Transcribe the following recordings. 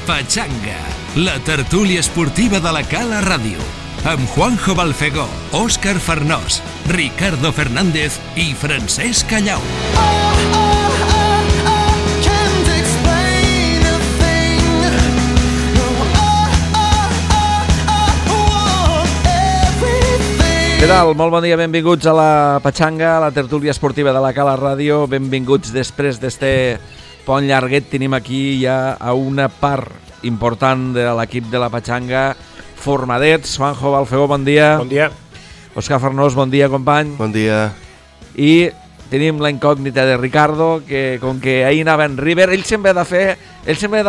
Pachanga, la tertúlia esportiva de la Cala Ràdio, amb Juanjo Balfegó, Òscar Farnós, Ricardo Fernández i Francesc Callau. Què tal? Molt bon dia, benvinguts a la Pachanga, a la tertúlia esportiva de la Cala Ràdio. Benvinguts després d'este pont llarguet. Tenim aquí ja a una part important de l'equip de la Pachanga, formadets. Juanjo Balfegó, bon dia. Bon dia. Òscar Farnós, bon dia, company. Bon dia. I tenim la incògnita de Ricardo, que com que ahir anava en River, ell sempre ha de fer... Ell sempre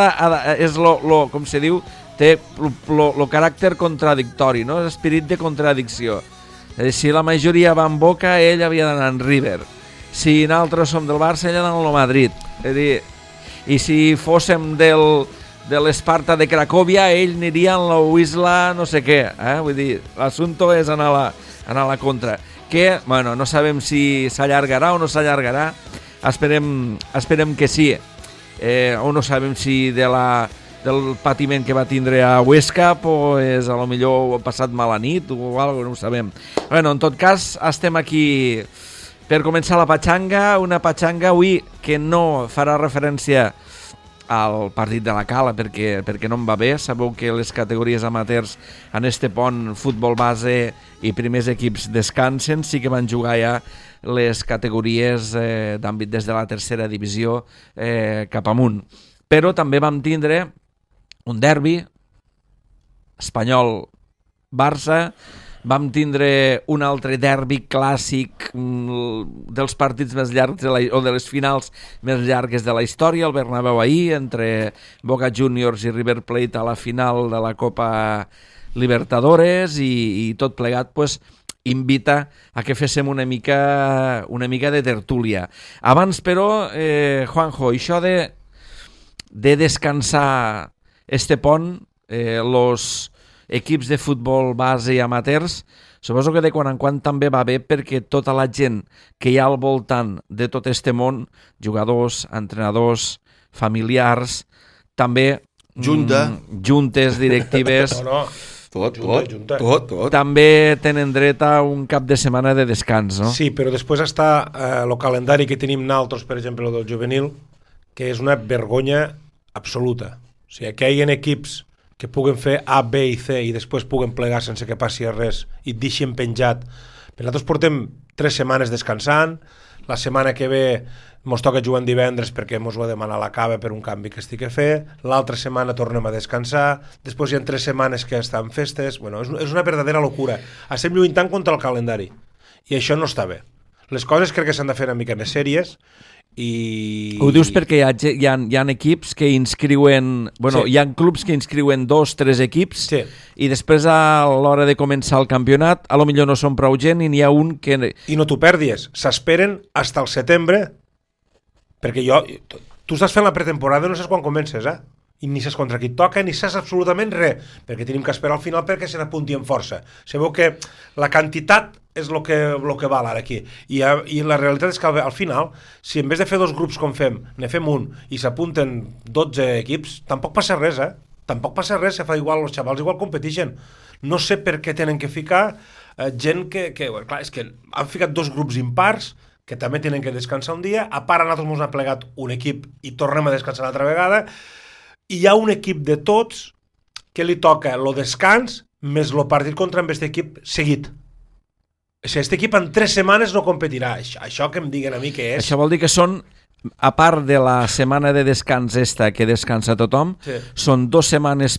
és com se diu, té el caràcter contradictori, no? L'esperit de contradicció. Si la majoria va en Boca, ell havia d'anar en River. Si nosaltres som del Barça, ell ha d'anar al Madrid. És a dir, i si fóssim de l'Esparta de Cracòvia, ell aniria en la Wisla no sé què. Vull dir, l'assumpte és anar a la contra. Que, bueno, no sabem si s'allargarà o no s'allargarà. Esperem que sí. O no sabem si del patiment que va tindre a Huesca, pues, a lo millor ha passat mala nit o alguna cosa, no ho sabem. Bueno, en tot cas, estem aquí per començar la Pachanga, una Pachanga avui que no farà referència al partit de la Cala perquè no em va bé. Sabeu que les categories amateurs en este pont, futbol base i primers equips descansen. Sí que van jugar ja les categories d'àmbit des de la tercera divisió cap amunt. Però també vam tindre un derbi, Espanyol-Barça, vam tindre un altre derbi clàssic dels partits més llargs o de les finals més llargues de la història, el Bernabéu ahir, entre Boca Juniors i River Plate a la final de la Copa Libertadores i tot plegat, pues, invita a que féssim una mica de tertúlia. Abans, però, Juanjo, això de descansar este pont, los equips de futbol base i amateurs, suposo que de quan en quan també va bé perquè tota la gent que hi ha al voltant de tot este món, jugadors, entrenadors, familiars, també juntes directives, Tot. també tenen dret a un cap de setmana de descans, no? Sí, però després està el calendari que tenim nosaltres, per exemple, el del juvenil, que és una vergonya absoluta. O sigui, que hi ha equips que puguen fer A, B i C i després puguen plegar sense que passi res i et deixin penjat. Però nosaltres portem 3 setmanes descansant, la setmana que ve mos toca jugar en divendres perquè mos ho ha demanat la cava per un canvi que estic a fer, l'altra setmana tornem a descansar, després hi ha 3 setmanes que estan festes. Bueno, és una verdadera locura. Estem lluitant contra el calendari i això no està bé. Les coses crec que s'han de fer una mica més sèries. Ho dius perquè hi ha equips que inscriuen... Bueno, sí. Hi ha clubs que inscriuen 2-3 equips, sí. I després a l'hora de començar el campionat a lo millor no són prou gent i n'hi ha un que... I no t'ho perdis, s'esperen fins al setembre, perquè tu estàs fent la pretemporada i no saps quan comences, i ni saps contra qui et toca, ni saps absolutament res, perquè tenim que esperar al final perquè se n'apunti amb força. Sabeu que la quantitat és el que val ara aquí. I la realitat és que al final, si en vez de fer 2 grups com fem, ne fem un i s'apunten 12 equips, tampoc passa res, Tampoc passa res, se fa igual, els xavals igual competeixen. No sé per què tenen que ficar gent que clar, és que han ficat 2 grups impars, que també tenen que descansar un dia, a part a nosaltres ens ha plegat un equip i tornem a descansar l'altra vegada, i hi ha un equip de tots que li toca el descans més el partit contra aquest equip seguit. O sigui, aquest equip en 3 setmanes no competirà. Això que em diguen a mi què és... Això vol dir que són, a part de la setmana de descans que descansa tothom, sí. Són 2 setmanes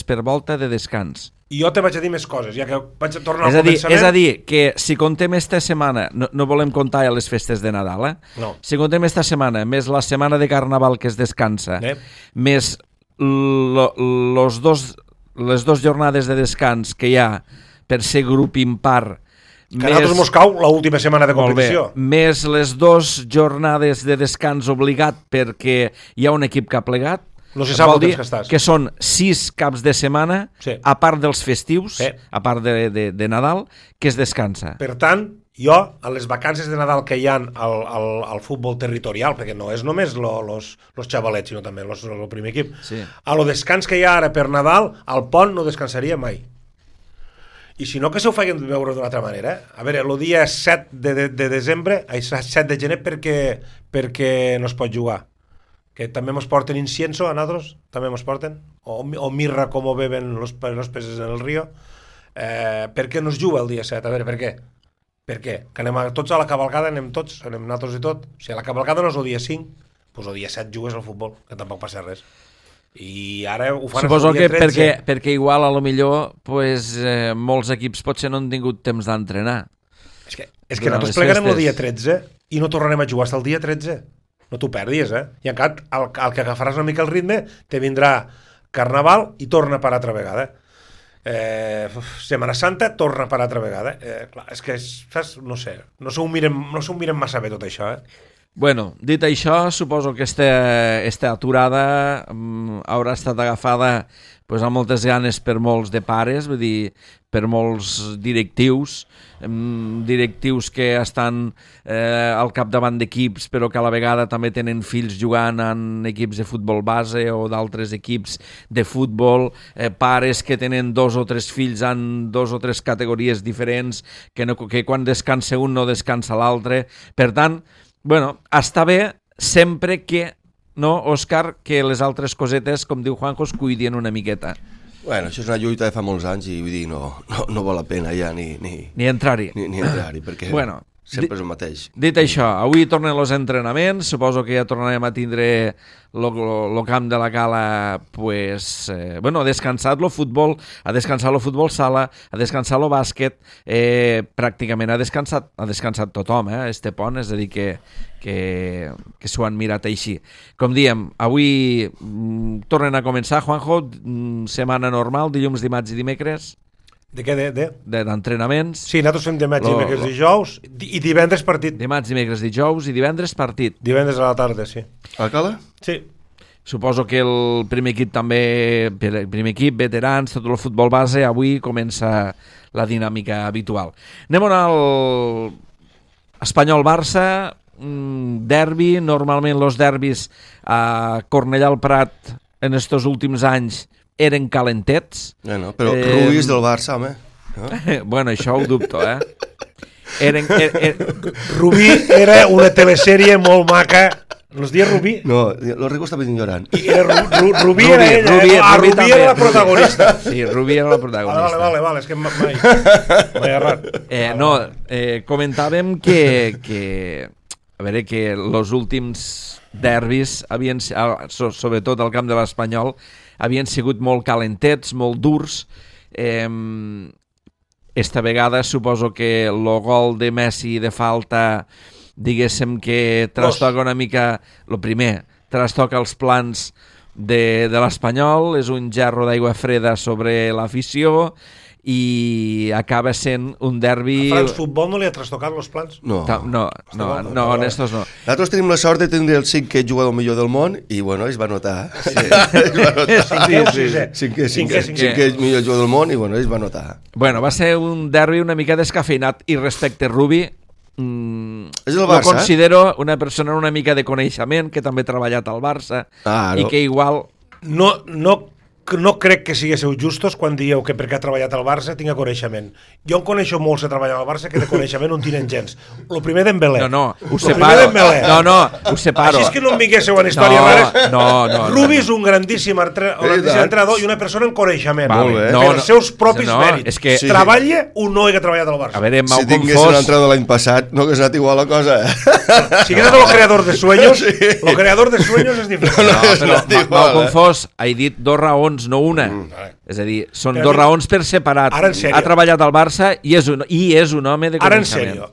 per volta de descans. I jo te vaig a dir més coses, ja que vaig a tornar al començament... És a dir, que si contem esta setmana, no volem comptar ja les festes de Nadal, No. Si contem esta setmana, més la setmana de Carnaval que es descansa, més les 2 jornades de descans que hi ha per ser grup impar, que a nosaltres mos cau l'última setmana de competició. Més les 2 jornades de descans obligat perquè hi ha un equip que ha plegat, No se sap Vol el dir temps que estàs. que són 6 caps de setmana, Sí. a part dels festius, Sí. a part de Nadal, que es descansa. Per tant, jo, a les vacances de Nadal que hi ha al futbol territorial, perquè no és només los xavalets, sinó també el primer equip, Sí. a lo descans que hi ha ara per Nadal, al pont no descansaria mai. I si no, que se ho facin veure d'una altra manera. A veure, el dia 7 de desembre, 7 de gener, perquè no es pot jugar. Que també mos porten incienso a nosaltres, també mos porten, o mirra com ho beben los peces en el río. Per què no es juga el dia 7? A veure, per què? Per què? Que anem tots a la cavalcada, anem nosaltres i tot. O sigui, la cavalcada no és el dia 5, doncs el dia 7 jugues al futbol, que tampoc passa res. I ara ho fan Suposo el dia que 13. perquè igual a lo millor pues, molts equips potser no han tingut temps d'entrenar. És que durant nosaltres les plegarem el festes. dia 13 i no tornarem a jugar fins el dia 13. No t'ho perdis, I encara el que agafaràs una mica el ritme te vindrà Carnaval i torna per altra vegada. Setmana Santa torna per altra vegada. Clar, és que saps? No sé, no s'ho miren massa bé tot això, Bueno, dit això, suposo que esta aturada haurà estat agafada pues, amb moltes ganes per molts de pares, vull dir, per molts directius que estan al capdavant d'equips però que a la vegada també tenen fills jugant en equips de futbol base o d'altres equips de futbol, pares que tenen 2 o 3 fills en 2 o 3 categories diferents, que quan descansa un no descansa l'altre. Per tant, bueno, està bé sempre que, no, Òscar, que les altres cosetes, com diu Juanjo, es cuidin una miqueta. Bueno, això és una lluita de fa molts anys i vull dir, no val la pena ja ni entrar-hi. Ni entrar-hi, perquè bueno, sempre és el mateix. Dit això, avui tornen els entrenaments, suposo que ja tornarem a tindre el camp de la Cala, pues, bueno, ha descansat el futbol sala, ha descansat el bàsquet, pràcticament ha descansat tothom, este pont, és a dir, que s'ho han mirat així. Com diem, avui tornen a començar, Juanjo, setmana normal, dilluns, dimarts i dimecres. De què? D'entrenaments. Sí, nosaltres fem dimarts, dimecres, dijous i divendres partit. Dimarts, dimecres, dijous i divendres partit. Divendres a la tarda, sí. A la Cala? Sí. Suposo que el primer equip també, veterans, tot el futbol base, avui comença la dinàmica habitual. Anem al Espanyol-Barça, derbi. Normalment els derbis a Cornellà al Prat en estos últims anys eren calentets. Bueno, però Rubí és del Barça, home. No? Bueno, això ho dubto, Rubí era una telesèrie molt maca. ¿Los dies Rubí? No, los ricos también lloran. Rubí era ella. Rubí era la protagonista. Sí, Rubí era la protagonista. Vale, és que mai errat. Comentàvem que a veure, que els últims derbis havien, sobretot al camp de l'Espanyol, havien sigut molt calentets, molt durs. Esta vegada suposo que el gol de Messi de falta, diguéssim que trastoca una mica, el primer, trastoca els plans de l'Espanyol, és un gerro d'aigua freda sobre l'afició i acaba sent un derbi... A France Futbol no li ha trastocat els plans? No, en estos no. Nosaltres tenim la sort de tindre el 5è jugador millor del món i, bueno, es va notar. Cinquè millor jugador del món i, bueno, es va notar. Bueno, va ser un derbi una mica descafeinat i respecte a Rubí, lo considero una persona una mica de coneixement, que també ha treballat al Barça i que igual... No crec que siguéssiu justos quan dieu que perquè ha treballat al Barça tinga coneixement. Jo en coneixo molts que treballen al Barça que de coneixement no en tenen gens. El primer Dembélé. No, ho separo. Ho separo. Així és que no em vinguéssiu en històries rares. No. Rubí és un grandíssim entrenador i una persona en coneixement. Per els seus propis mèrits. És que treballa un noi que ha treballat al Barça. A veure, si tingués un entrenador l'any passat, no hagués anat igual la cosa. Si hagués anat el creador de sueños, el creador de sueños és diferent. Però m'ho confós, he dit 2 raons, no una. És a dir, són 2 raons per separat. Ha treballat al Barça i és un home de coneixement. Ara, en sèrio,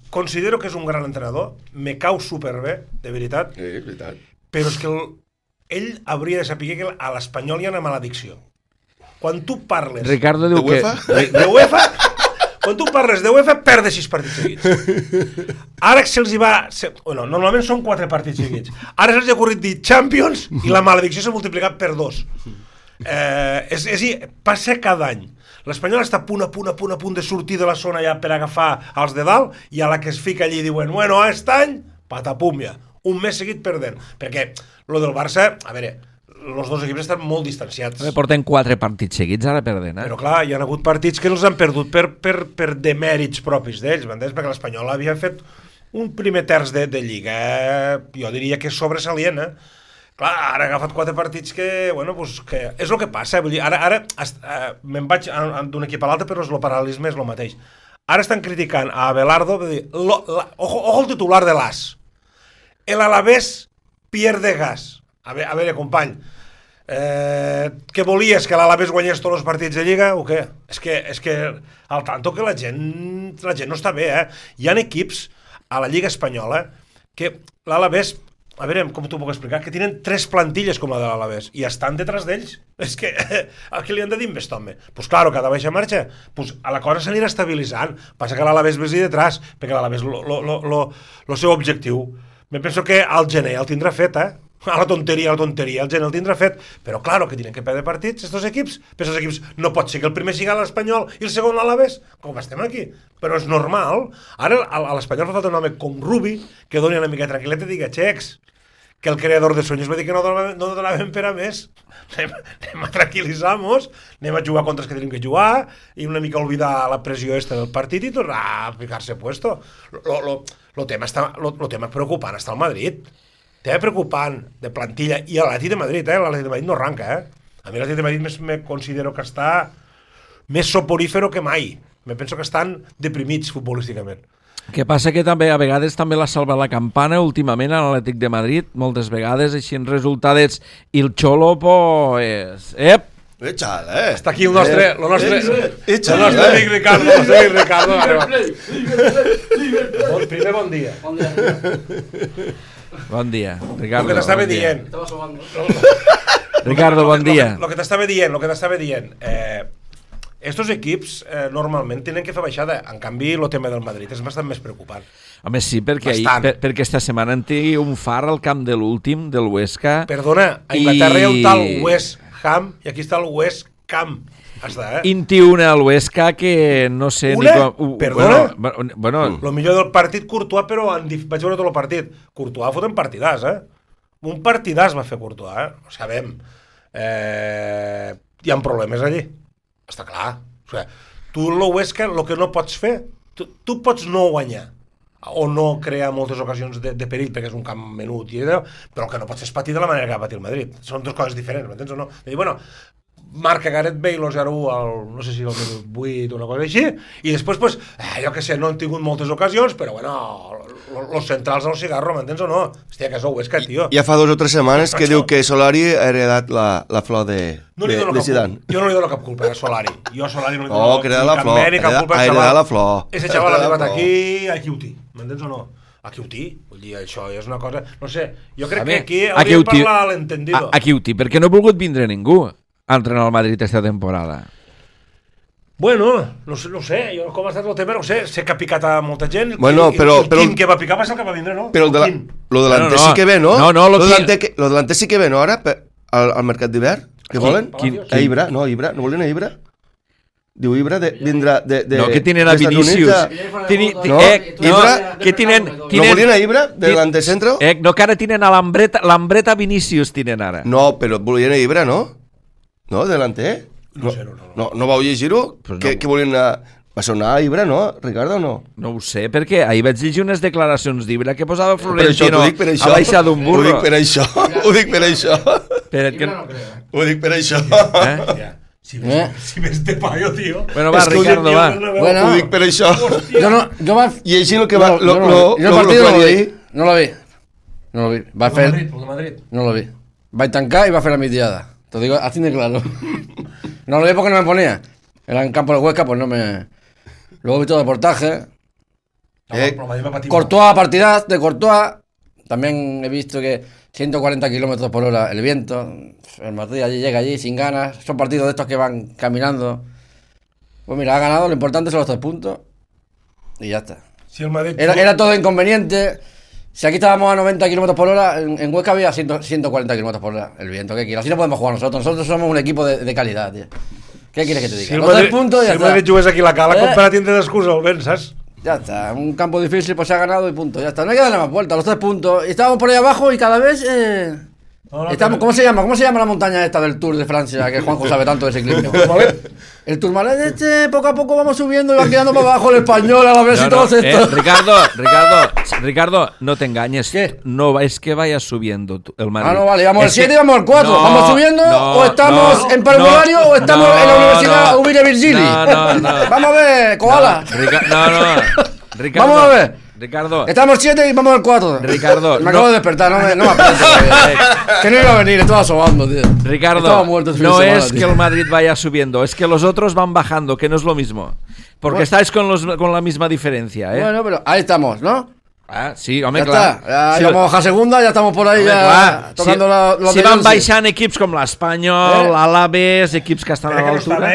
considero que és un gran entrenador, me cau superbé, de veritat, però és que ell hauria de saber que a l'Espanyol hi ha una maledicció. Quan tu parles... Ricardo diu que... De UEFA? Quan tu parles de UEFA, perdes 6 partits seguits. Ara que se'ls hi va... Bueno, normalment són 4 partits seguits. Ara se'ls hi ha ocorrit dir Champions i la maledicció s'ha multiplicat per 2. Passa cada any. L'Espanyol està a punt de sortir de la zona ja per agafar els de dalt i a la que es fica allí diuen, bueno, aquest any, patapum ja. Un mes seguit perdent. Perquè lo del Barça, a veure, els dos equips estan molt distanciats. Porten 4 partits seguits ara perdent, Però clar, hi ha hagut partits que els han perdut per demèrits propis d'ells, m'entens? Perquè l'Espanyol havia fet un primer terç de Lliga, jo diria que és sobresalient, Clar, ara ha agafat 4 partits que, bueno, pues, que és el que passa, vull dir, ara me'n vaig d'un equip a l'altre, però el paral·lelisme és el mateix. Ara estan criticant a Abelardo, vull dir, ojo el titular de l'AS. El Alavés pierde gas. A veure, company, què volies, que l'Alavés guanyés tots els partits de Lliga o què? És que al tanto que la gent no està bé, Hi ha equips a la Lliga Espanyola que l'Alavés, a veure, com t'ho puc explicar, que tenen 3 plantilles com la de l'Alavés i estan detrás d'ells. És que, a què li han de dir amb aquest home? Pues claro, cada baixa marxa, pues a la cosa s'anirà estabilitzant. Passa que l'Alavés vés detrás, perquè l'Alavés, el seu objectiu, me penso que al gener el tindrà fet, a la tonteria, el gener el tindrà fet, però claro que tenen que perdre partits estos equips, però estos equips no pot ser que el primer siga l'Espanyol i el segon l'Alavés, com estem aquí, però és normal. Ara a l'Espanyol fa falta un home com Rubi que doni una mica de tranquil·leta i diga, xecs, que el creador de sueños va dir que no donaven per a més, anem a tranquil·litzar-nos, anem a jugar contra els que tenim que jugar i una mica oblidar la pressió esta del partit i tornar a ficar-se puesto. Lo tema preocupant està al Madrid. Tema preocupant de plantilla i l'Atlètic de Madrid, l'Atlètic de Madrid no arranca, A mi l'Atlètic de Madrid me considero que està més soporífero que mai. Me penso que estan deprimits futbolísticament. Que passa que també a vegades també l'ha salvat la campana últimament a l'Atlètic de Madrid, moltes vegades així en resultats i el Xolo pues... Està aquí el nostre amic Ricardo. Primer bon dia. Bon dia, Ricardo. Lo que t'estava dient. Ricardo, bon dia. Lo que t'estava dient. Estos equips normalment tenen que fer baixada. En canvi, el tema del Madrid és bastant més preocupant. Home, sí, perquè esta setmana en té un far al camp de l'últim, del Huesca. Perdona, a Inglaterra hi ha un tal West Ham i aquí està el West Camp. Està, 21 al Huesca que no sé... Perdona? Bueno, lo millor del partit Courtois, però vaig veure tot el partit. Courtois foten partidàs, Un partidàs va fer Courtois, Ho sabem. Hi ha problemes allí. Està clar. O sigui, tu el Huesca, el que no pots fer, tu pots no guanyar o no crear moltes ocasions de perill perquè és un camp menut, però el que no pots fer és patir de la manera que va patir el Madrid. Són dues coses diferents, m'entens o no? I dir, bueno, marca Gareth Bale el 0-1 al, no sé si al minut 8 o una cosa així, i després, pues, jo que sé, no han tingut moltes ocasions, però bueno, los centrals al cigarro, m'entens o no? Hòstia, que és el Huesca, tio. Ja fa 2 o 3 setmanes que diu que Solari ha heredat la flor de Zidane. Jo no li dono cap culpa a Solari. Jo a Solari no li dono cap mèrit, cap culpa al xaval. La flor. Ese xaval ha arribat aquí a Quiuti, m'entens o no? A Quiuti, vull dir, això és una cosa... No sé, jo crec que aquí hauríem de parlar a l'entendido. A Quiuti, perquè no ha volgut vindre ningú a entrenar al Madrid esta temporada. Bueno, no sé, jo com ha estat el tema, no sé, sé que ha picat a molta gent, bueno, el Quim que va picar va ser el que va vindre, no? Però lo delanter sí que ve, no? Lo delanter sí que ve, no, ara, al mercat d'hivern? Què volen? A Ibra, no volen a Ibra? Diu Ibra vindrà de... No, que tienen a Vinicius. Ibra, que tienen... ¿No volien a Ibra, de delante centro? No, que ara tienen a l'Ambreta Vinicius, tienen ara. No, però volien a Ibra, no? No, delante, No vau llegir-ho? Que volien a... Va sonar a Ibra, no, Ricardo, o no? No ho sé, perquè ahir vaig llegir unes declaracions d'Ibra que posava Florentino a baixar d'un burro. Ho dic per això. Ho dic per això. Si ves de paio, tio. Bueno, va, Ricardo, va. Ho dic per això. Jo va... I així el que va... Jo el partit no la vi. Va fer... Madrid. No la vi. Vaig tancar i va fer la mitiada. Te digo, así de claro. No lo vi porque no me ponía. Era en campo de Huesca, pues no me... Luego vi todo el reportaje. Courtois, partidaz de Courtois. También he visto que 140 kilómetros por hora el viento. El Madrid llega allí sin ganas. Son partidos de estos que van caminando. Pues mira, ha ganado, lo importante son los 3 puntos. Y ya está. Si el Madrid... Era todo inconveniente. Si aquí estábamos a 90 km por hora, en Huesca había 140 km por hora. El viento, ¿qué quieres? Así no podemos jugar nosotros. Nosotros somos un equipo de calidad, tío. ¿Qué quieres que te diga? Si los 3 puntos ya está. Si el Madrid jugués aquí la cala, compara tienda d'excusa, el ven, saps? Ya está, un campo difícil, pues se ha ganado y punto. Ya está, no hay que darle más vuelta, los 3 puntos. Y estábamos por ahí abajo y cada vez... estamos, ¿Cómo se llama la montaña esta del Tour de Francia? Que Juanjo sabe tanto de ciclismo. El Tourmalet poco a poco vamos subiendo y va quedando para abajo el Español a la vez y todos estos. Ricardo, no te engañes. ¿Qué? No, es que vayas subiendo el Madrid. No, vale, vamos al 7 y vamos al 4. ¿Vamos subiendo o estamos en parvulario o estamos en la Universidad Ubire Virgili? No. Vamos a ver, koala. Ricardo, vamos a ver. Ricardo. Estamos 7 y vamos al 4. Ricardo. Me acabo de despertar, no me aprieto. Que no iba a venir, estaba sobando, tío. Ricardo, no es que el Madrid vaya subiendo, es que los otros van bajando, que no es lo mismo. Porque estáis con la misma diferencia, ¿eh? Bueno, pero ahí estamos, ¿no? Sí, home, ya clar. Está. Ya vamos a segunda, ya estamos por ahí, home, ya tocando los si van baixant equips com l'Espanyol, l'Alaves, equips que estan a l'altura.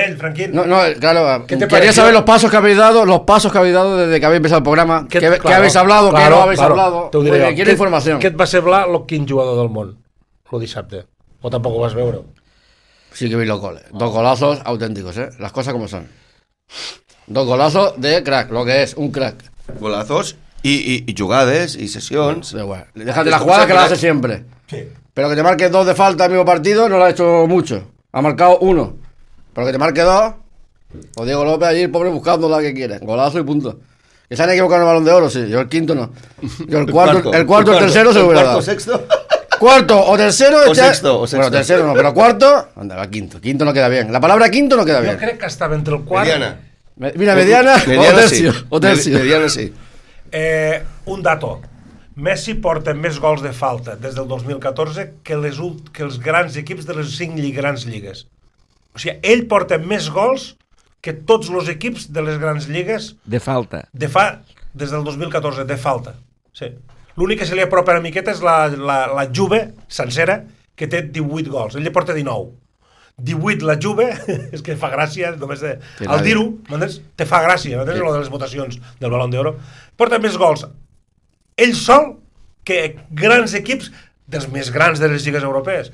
No, claro, quería saber los pasos que habéis dado desde que habéis empezado el programa. ¿Qué habéis hablado? ¿Qué no habéis hablado? Quiero información. Què et va semblar quin jugador del món, el dissabte? O tampoc ho vas veure? Sí que vi los goles. 2 golazos auténticos, las cosas como son. 2 golazos de crack, lo que es, un crack. Golazos y jugades y sesiones. Bueno, déjate la jugada que la hace siempre. Sí. Pero que te marque 2 de falta en el mismo partido no lo ha hecho mucho. Ha marcado 1. Pero que te marque 2, o Diego López allí, el pobre, buscando la que quiere. Golazo y punto. Que se han equivocado en el Balón de Oro, sí. Yo el quinto no. Yo el cuarto, el tercero se lo hubiera dado. Sexto. Cuarto o tercero. O sexto. Bueno, tercero no, pero cuarto. Anda, va quinto. Quinto no queda bien. La palabra quinto no queda bien. Jo crec que estava entre el quart... Mira, mediana o tercio. Mediana sí. Un dato. Messi porta més gols de falta des del 2014 que els grans equips de les 5 grans lligues. O sigui, ell porta més gols que tots els equips de les grans lligues... De falta. Des del 2014, de falta. Sí. L'únic que se li apropa una miqueta és la Juve sencera, que té 18 gols. Ell li porta 19. 18 la Juve, és que fa gràcia, només al dir-ho, te fa gràcia, lo de les votacions del Balón d'Oro. Porta més gols ell sol que grans equips dels més grans de les lligues europees.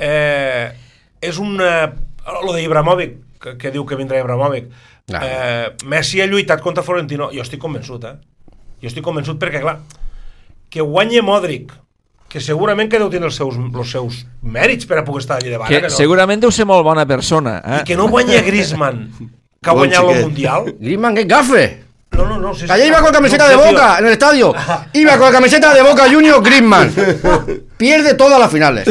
És lo d'Ibrahimovic, que diu que vindrà Ibrahimovic. Messi ha lluitat contra Florentino. Jo estic convençut, Jo estic convençut perquè, clar, que guanye Modric, que segurament que deu tenir els seus mèrits per a poder estar allà davant. Que segurament deu ser molt bona persona. I que no guanya Griezmann, que ha guanyat el Mundial. Griezmann, que gafe. No. Que allá iba con camiseta de Boca en el estadio. Iba con la camiseta de Boca Junior Griezmann. Pierde todas las finales.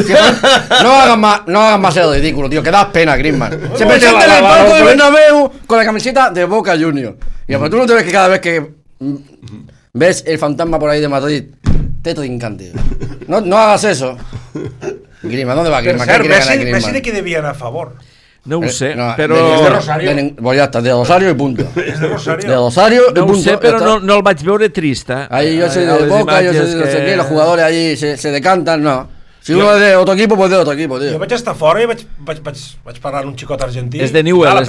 No hagan más el ridículo, tío. Que das pena, Griezmann. Se presenta en el palco del Bernabéu con la camiseta de Boca Junior. Y pero tú no te ves que cada vez que ves el fantasma por ahí de Madrid te trincan, tío. No hagas eso. Griezmann, ¿dónde va Griezmann? Messi de qui devia anar a favor? No ho sé, però... És de Rosario. Pues ya está, de Rosario y punto. És de Rosario. De Rosario y punto. No ho sé, però no el vaig veure trist, Ahí yo soy de Boca, yo soy de no sé qué, los jugadores allí se decantan, no. Si uno es de otro equipo, pues de otro equipo, tío. Jo vaig estar fora i vaig parlar amb un xicot argentí. És de Newell,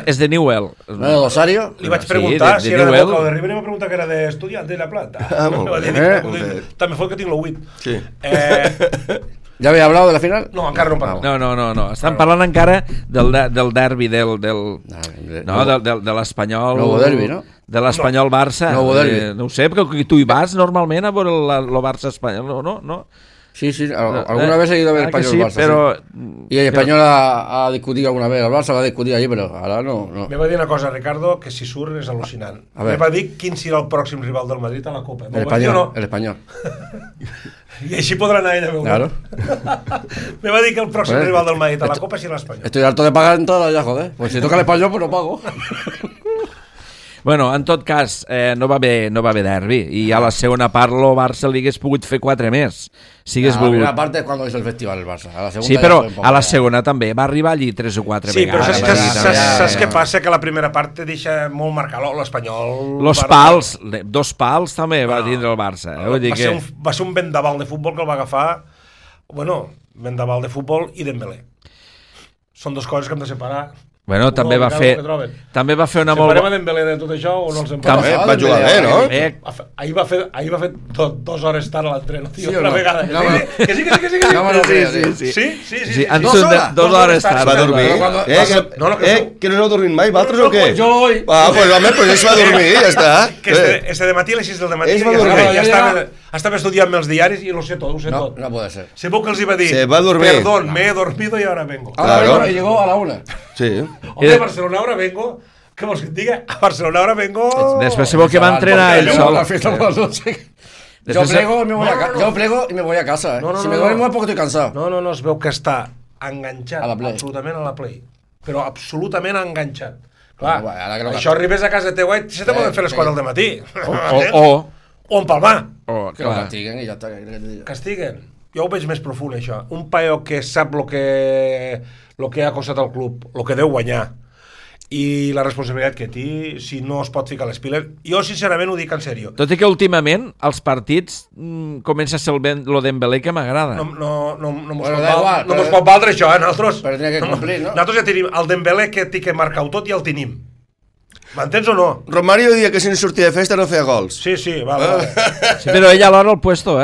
és de Newell. ¿No de Rosario? Li vaig preguntar si era de Boca o de River i em va preguntar que era d'Estudiant de La Plata. També fot que tinc l'8. Sí. ¿Ya habéis hablado de la final? No, encara no parlem. No. Estan parlant encara del derbi, de l'Espanyol... Nuevo derbi, no? De l'Espanyol-Barça. Nuevo derbi. No ho sé, perquè tu hi vas normalment a veure el Barça-Espanyol, no? Sí, alguna vez he ido a ver Español-Barça. Pero, y el Español ha discutido alguna vez, el Barça l'ha discutit allí, però ara no. Me va dir una cosa, Ricardo, que si surt és al·lucinant. Me va dir quin serà el pròxim rival del Madrid a la Copa. El Español. I així podrà anar ell a veure. Claro. Me va dir que el pròxim rival del Madrid a la Copa serà l'Espanyol. Estoy harto de pagar entradas ya, joder. Pues si toca el Español, pues no pago. Bueno, en tot cas, no va haver derbi i a la segona part el Barça li hagués pogut fer 4 més. Si hagués volgut. La part és quan hizo el festival el Barça. A la segunda sí, però a la segona també va arribar allí 3 o 4 vegades. Sí, però saps què passa? Que la primera part te deixa molt marcat l'Espanyol. Los pals, 2 pals també va tindre el Barça. Va ser un vendaval de futbol que el va agafar, vendaval de futbol i Dembélé. Són 2 coses que hem de separar. Bueno, també va fer una molt... Separem a Dembélé de tot això o no els empatem? Va jugar bé, no? Ahir va fer 2 hores tard a l'entreno, tio, una vegada. Que sí. Sí, han sigut 2 hores tard. Va dormir? Que no heu dormit mai, vosaltres o què? Jo hoy. Pues home, pues ell va dormir, ja està. Que este de matí a les 6 del matí ja estava estudiant els diaris i lo sé tot, No puede ser. Se veu que els iba a dir, perdón, me he dormido y ahora vengo. Y llegó a la 1. Sí. Hombre, a Barcelona ahora vengo. ¿Qué vos que te diga? A Barcelona ahora vengo. Després se veu que va entrenar ell sol. Yo plego y me voy a casa. Si me duermo es porque estoy cansado. No, es veu que està enganxat absolutament a la Play. Però absolutament enganxat. Clar, això arribes a casa teva i se te poden fer les 4 del matí. O empalmar. Que lo castiguen i ja està. Castiguen. Jo ho veig més profund, això. Un paio que sap lo que ha costat al club, lo que deu guanyar, i la responsabilitat que té, si no es pot ficar les piles. Jo, sincerament, ho dic en sèrio. Tot i que últimament, els partits comença a ser lo Dembélé que m'agrada. No mos pot valdre això, nosaltres. Però tenia que complir, no? Nosaltres ja tenim el Dembélé que té que marcar-ho tot i el tenim. M'entens o no? Romario dia que si no sortia de festa no feia gols. Sí, vale. Sí, però ell alhora el puesto,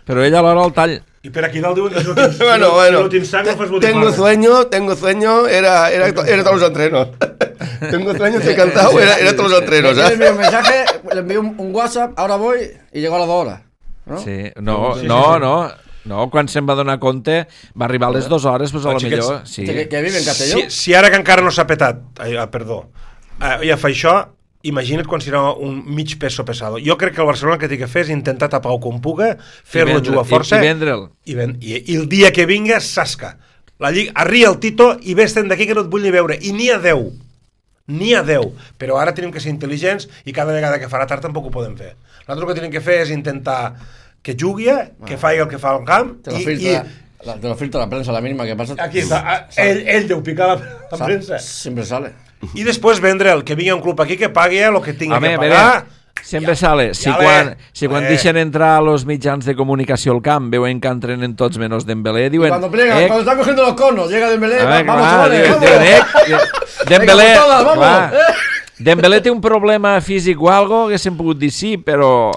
Però ell alhora el tall. Y pero aquí dalt diuen que si no tens sang no fas botifarra. Tengo sueño, era todos los entrenos. Tengo sueño, estoy cansado, era todos los entrenos. Le envío un mensaje, le envío un WhatsApp, ahora voy, y llegó a las 2 horas. ¿No? Sí, no, quan se'n va donar compte va arribar a les 2 hores, doncs a lo millor... Sí. Que vive en Castelló? Si ara que encara no s'ha petat, ja fa això, imagina't quan serà un mig peso pesado. Jo crec que el Barcelona el que té que fer és intentar tapar-ho com puga, fer-lo jugar força i vendre'l. I el dia que vinga, sasca. La Lliga, arria el Tito i vés-te'n d'aquí que no et vull ni veure. I n'hi ha 10. Però ara tenim que ser intel·ligents i cada vegada que farà tard tampoc ho podem fer. Nosaltres el que tenim que fer és intentar que jugui, que faci el que fa al camp te lo filtra la prensa, la mínima que passa. Aquí està, ell deu picar la premsa. Sempre sale. I després vendre'l, que vingui un club aquí que pagui el que tingui que pagar. Sempre sale. Si quan deixen entrar los mitjans de comunicació al camp veuen que entrenen tots menys Dembélé, diuen... Cuando están cogiendo los conos, llega Dembélé, vamos chavales, Dembélé té un problema físic o algo, que s'han pogut dir sí, però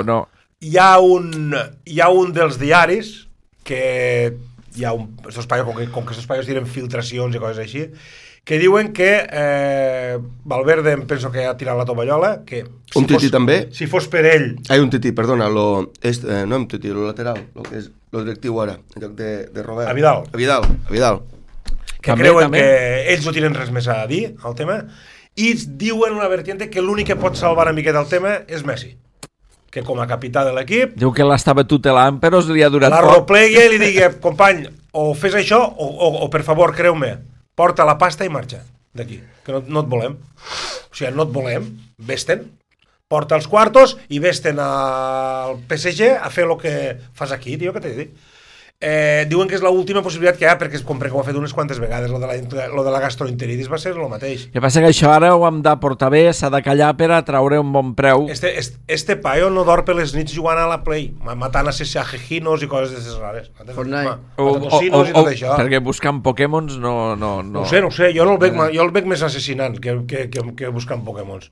no. Hi ha un dels diaris que hi ha estos paios, com que estos paios tiren filtracions i coses així, que diuen que Valverde em penso que ha tirat la tovallola, que un tití també? Si fos per ell... Un tití, perdona, no un tití, lo lateral, lo que és lo directiu ara, en lloc de Robert. A Vidal. Que també, creuen també. Que ells no tenen res més a dir al tema, i diuen una vertiente que l'únic que pot salvar una miqueta el tema és Messi, que com a capità de l'equip... Diu que l'estava tutelant, però li ha durat poc. La replegui i li digui, company, o fes això, o per favor, creu-me, porta la pasta i marxa d'aquí, que no et volem. O sigui, no et volem, vés-te'n, porta els quartos i vés-te'n al PSG a fer el que fas aquí, tio, que t'he dit. Diuen que és l'última possibilitat que hi ha, perquè ho ha fet unes quantes vegades, lo de la gastroenteritis va ser el mateix. El que passa que això ara ho hem de portar bé, s'ha de callar per a traure un bon preu. Este paio no dorm per les nits jugant a la Play, matant assassinos i coses d'aquestes rares. Fortnite. Perquè buscant Pokémons no... No ho sé, jo el veig més assassinant que buscant Pokémons.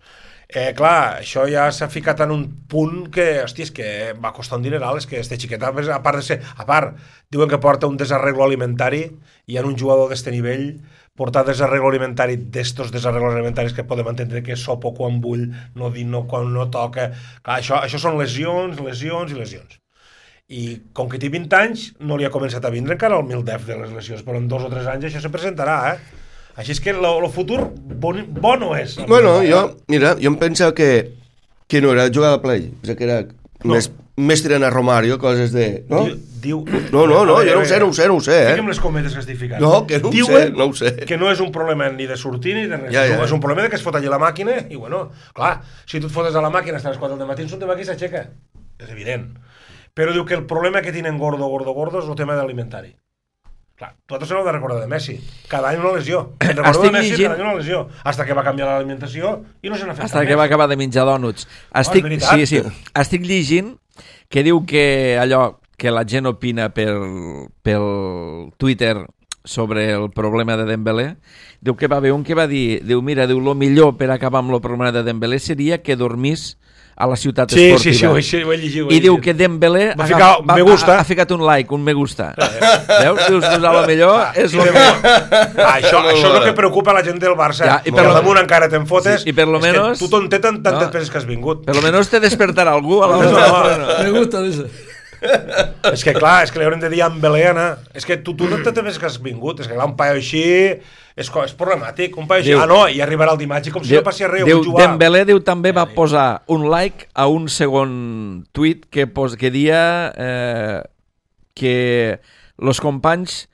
Clar, això ja s'ha ficat en un punt que, hòstia, és que va costar un dineral, és que este xiquet, a part, diuen que porta un desarreglo alimentari, i en un jugador d'este nivell, portar desarreglo alimentari d'estos desarreglos alimentaris que podem entendre que sopo quan vull, no dir no quan no toca, clar, això són lesions. I com que té 20 anys, no li ha començat a vindre encara el mil-def de les lesions, però en 2 o 3 anys això se presentarà, Així és que el futur bo no és. Bueno, jo em penso que no era jugar a Play, que era més tirant a Romario, coses de... No, jo no ho sé. Fiquem les cometes que estic ficant. No, que no ho sé. Que no és un problema ni de sortir ni de res. És un problema de que es fot allà la màquina i, bueno, clar, si tu et fotes a la màquina fins a les 4 del matí, un tema aquí s'aixeca. És evident. Però diu que el problema que tenen gordo és el tema d'alimentari. Clar, tu s'heu de recordar de Messi. Cada any una lesió. Recordo de Messi, cada any una lesió. Hasta que va canviar l'alimentació i no se n'ha fet. Hasta que va acabar de menjar dònuts. Estic llegint que diu que allò que la gent opina pel Twitter sobre el problema de Dembélé. Diu que va haver un que va dir, diu, mira, diu, lo millor per acabar amb el problema de Dembélé seria que dormís a la ciutat esportiva. Sí, ho he llegit. I diu que Dembélé ha ficat un like, un me gusta. Veus? Dius, a lo millor és lo millor. Això és el que preocupa la gent del Barça. I per damunt encara te'n fotes. I per lo menos... Tu t'on té tantes peces que has vingut. Per lo menos te despertarà algú a l'hora. Me gusta, dice. És que clar, és que li haurem de dir a Dembélé, Anna. És que tu no te ves que has vingut. És que clar, un paio així és problemàtic. Un paio així, i arribarà el dimarts i com si no passi res. Dembélé també va posar un like a un segon tuit que dia que els companys